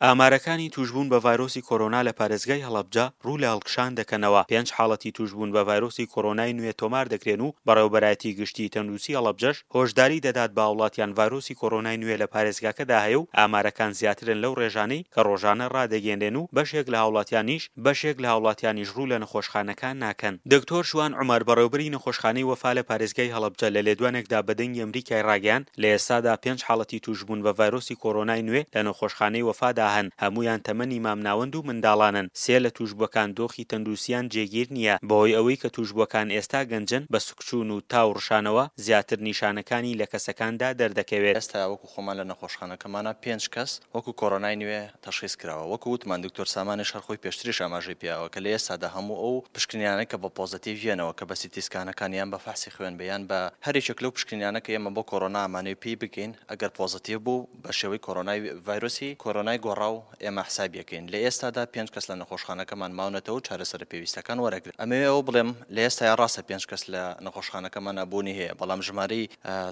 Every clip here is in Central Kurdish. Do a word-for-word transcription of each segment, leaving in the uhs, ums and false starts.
ئامارەکانی تووشبوون بە ڤایرۆسی کۆرۆنا لە پارێزگای هەڵەبجە ڕوو لە هەڵکشان دەکەنەوە، پێنج حاڵەتی تووشبوون بە ڤایرۆسی کۆرۆنای نوێ تۆمار دەکرێن و بەڕێوەبەرایەتی گشتی تەندروستی هەڵەبجەش هۆشداری دەدات بە هاوڵاتیان ڤایرۆسی کۆرۆنای نوێ لە پارێزگاکەدا هەیە و ئامارەکان زیاترن لەو ڕێژانەی کە ڕۆژانە ڕادەگەیەنرێن و بەشێک لە هاوڵاتیانیش بەشێک لە هاوڵاتیانیش ڕوو لە نەخۆشخانەکان ناکەن. دکتۆر شوان عومەر بەڕێوبەری نەخۆشخانەی وەفا لە پارێزگای هەڵەبجە لە لێدوانێکدا بە دەنگی ئەمریکای ڕاگەیاند لە ئێستادا پێنج حاڵەتی تووشبوون بە ڤایرۆسی کۆرۆنای نوێ لە نەخۆشخانەی وەفادا هەن، هەموویان تەمەنی مامناوەند و منداڵانن، سێ لە تووشبووەکان دۆخی تەندروستیان جێگیر نییە، بەهۆی ئەوەی کە تووشبووەکان ئێستا گەنجن، بە سکچوون و تا و ڕشانەوە زیاتر نیشانەکانی لە کەسەکاندا دەردەکەوێت. ئێستا وەکو خۆمان لە نەخۆشخانەکەمانا پێنج کەس وەکو کۆرۆنای نوێ تەشخیس کراوە، وەکو وتمان دکتۆر سامانیش هەر خۆی پێشتریش ئاماژەی پێیاوە کە لە ئێستادا هەموو ئەو پشکنینانەی کە بە پۆزەتیڤ یەنەوە کە بە سیتی سکانەکان یان بە فەحسی خوێن بێ یان بە هەر یەکێک لەو پشکنینانە کە ئێمە بۆ کۆرۆنا ئەمانەوێ پێی بگەین ئەگەر پۆزەتیڤ بوو بە شێوەی کۆرۆنای ڤایرۆسی کۆرۆنای گۆڕاو ئێمە حسابی ئەکەین. لە ئێستادا پێنج کەس لە نەخۆشخانەکەمان ماونەتەوە و چارەسەرە پێویستەکان وەرەگرن. ئەمەوێ ئەوە بڵێم لە ئێستایا ڕاستە پێنج کەس لە نەخۆشخانەکەمانا بوونی هەیە بەڵام ژمارەی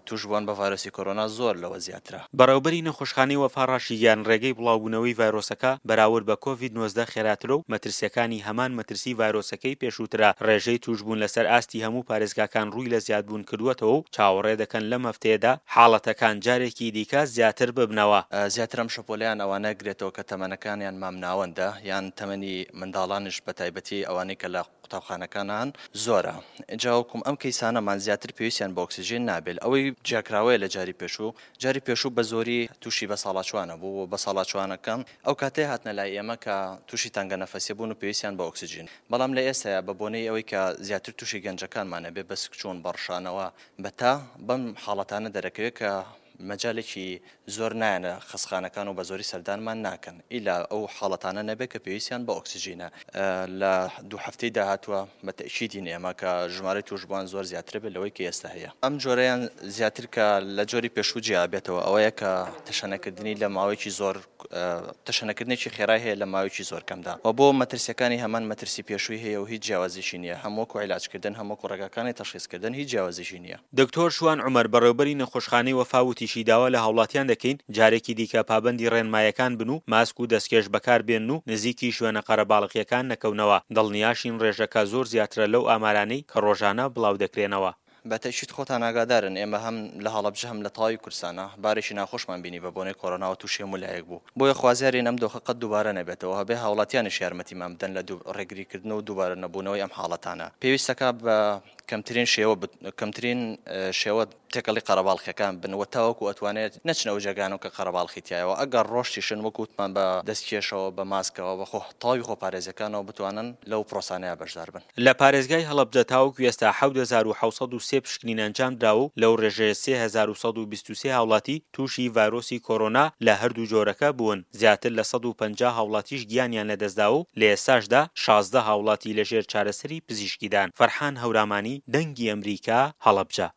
تووشبووان بە ڤایرۆسی کۆرۆنا زۆر لەوە زیاترە. بەڕێوبەری نەخۆشخانەی وەفا ڕاشیگەیاند ڕێگەی بڵاوبوونەوەی ڤایرۆسەکە بەراورد بە کۆڤید نۆزدە خێراترە و مەترسییەکانی هەمان مەترسی ڤایرۆسەکەی پێشووترە، ڕێژەی تووشبوون لەسەر ئاستی هەموو پارێزگاکان ڕووی لە زیادبوون کردووەتەوە و چاوەڕێ دەکەن لەم هەفتەیەدا حاڵەتەکان جارێکی دیکە زیاتر ببنەوە. زیاتر ئەم شەپۆلەیان ئەوانە گرێتەوە کە تەمەنەکانیان مامناوەندە یان تەمەنی منداڵانیش بەتایبەتی ئەوانەی کە لە قوتابخانەکانان زۆرە ئینجا وەکوم ئەم کەیسانەمان زیاتر پێویستیان بە ئۆکسجین نابێت ئەوەی جیاکراوەیە لە جاری پێشوو جاری پێشوو بە زۆری تووشی بەساڵاچوانە بوو و بەساڵاچوانەکان ئەو کاتەی هاتنە لای ئێمە کە تووشی تەنگە نەفەسی بوون و پێویستیان بە ئۆکسجین بەڵام لە ئێستایا بە بۆنەی ئەوەی کە زیاتر تووشی گەنجەکانمانە بێ بە سکچوون بە ڕشانەوە بە تا بەم حاڵەتانە دەرەکەوێت کە مەجالێکی زۆر نایەنە خەستخانەکان و بە زۆری سەردانمان ناکەن ئیلا ئەو حاڵەتانە نەبێت کە پێویستیان بە ئۆکسجینە. لە دوو هەفتەی داهاتووە بە تەئکیدین ئێمە کە ژمارەی تووشبووان زۆر زیاترە بێت لەوەی کە ئێستا هەیە. ئەم جۆرەیان زیاتر کە لە جۆری پێشوو جیا بێتەوە ئەوەیە کە تەشەنەکردنی لە ماوەیەکی زۆر تەشەنەکردنێکی خێرای هەیە لە ماوەیەکی زۆر کەمدا و بۆ مەترسیەکانی هەمان مەترسی پێشووی هەیە و هیچ جیاوازیشی نییە، هەم وەکو عیلاجکردن هەم وەکو ڕێگاکانی تەشخیصکردن هیچ جیاوازیشی نییە. دکتۆر شوان عومەر بەڕێوبەری نەخۆشخانەی وەفا وتیشی داوا لە هاوڵاتیان دەکەین جارێکی دیکە پابەندی ڕێنمایەکان بن و ماسک و دەستکێش بەکاربێنن و نزیکی شوێنە قەرەباڵغییەکان نەکەونەوە، دڵنیاشین ڕێژەکە زۆر زیاترە لەو ئامارانەی کە ڕۆژانە بڵاودەکرێنەوە. بە تەئکید خۆتان ئاگادارن ئێمە هەم لە هەڵەبجە هەم لە تەواوی کوردستانا بارێکی ناخۆشمان بینی بە بۆنەی کۆرۆناوە تووشی هەموو لایەک بوو بۆیە خوازیارین ئەم دۆخە قەت دووبارە نەبێتەوە هەبێ هاوڵاتیانیش یارمەتیمان بدەن لە ڕێگریکردن و دووبارە نەبوونەوەی ئەم حاڵەتانە پێویستەکا بە کەمترین شێوە کەمترین شێوە تێکەڵی قەرەباڵخیەکان بن و تاوەکو ئەتوانێت نەچنە ئەو جێگانەوە کە قەرەباڵخی تیایەوە ئەگەر ڕۆشتیشن وەکو وتمان بە دەستکێشەوە بە ماسکەوە بە خۆ تەواوی خۆپارێزیەکانەوە بتوانن لەو پرۆسانەیا بەشدار بن. لە پارێزگای هەڵەبجە تاوەکو ئێستا حەوت هەزار و حەوت سەد و سێ پشکنین ئەنجامدراوە و لەو ڕێژەیە سێ هەزار و سەد و بیست و سێ هاوڵاتی تووشی ڤایرۆسی کۆرۆنا لە هەردوو جۆرەکە بوون، زیاتر لە سەد و پەنجا هاوڵاتیش گیانیان لەدەستداوە و لە ئێستاشدا شازدە هاوڵاتی لەژێر چارەسەری پزیشکیدان. فەرحان هەورامانی، دەنگی ئەمریکا، هەڵەبجە.